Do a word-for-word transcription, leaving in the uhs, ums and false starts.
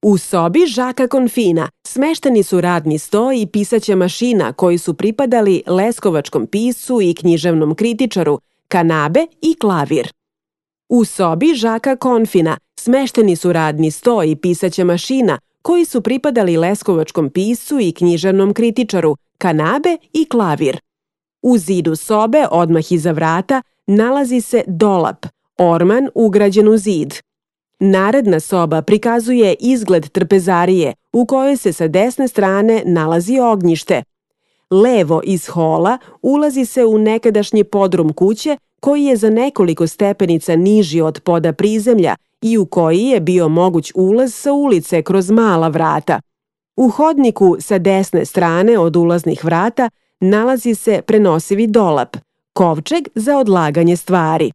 U sobi Žaka Konfina smešteni su radni sto i pisaća mašina koji su pripadali leskovačkom piscu i književnom kritičaru, kanabe i klavir. U sobi Žaka Konfina smešteni su radni sto i pisaća mašina koji su pripadali leskovačkom piscu i književnom kritičaru, kanabe i klavir. U zidu sobe, odmah iza vrata, nalazi se dolap, orman ugrađen u zid. Naredna soba prikazuje izgled trpezarije u kojoj se sa desne strane nalazi ognjište. Levo iz hola ulazi se u nekadašnji podrum kuće koji je za nekoliko stepenica niži od poda prizemlja i u koji je bio moguć ulaz sa ulice kroz mala vrata. U hodniku sa desne strane od ulaznih vrata nalazi se prenosivi dolap, kovčeg za odlaganje stvari.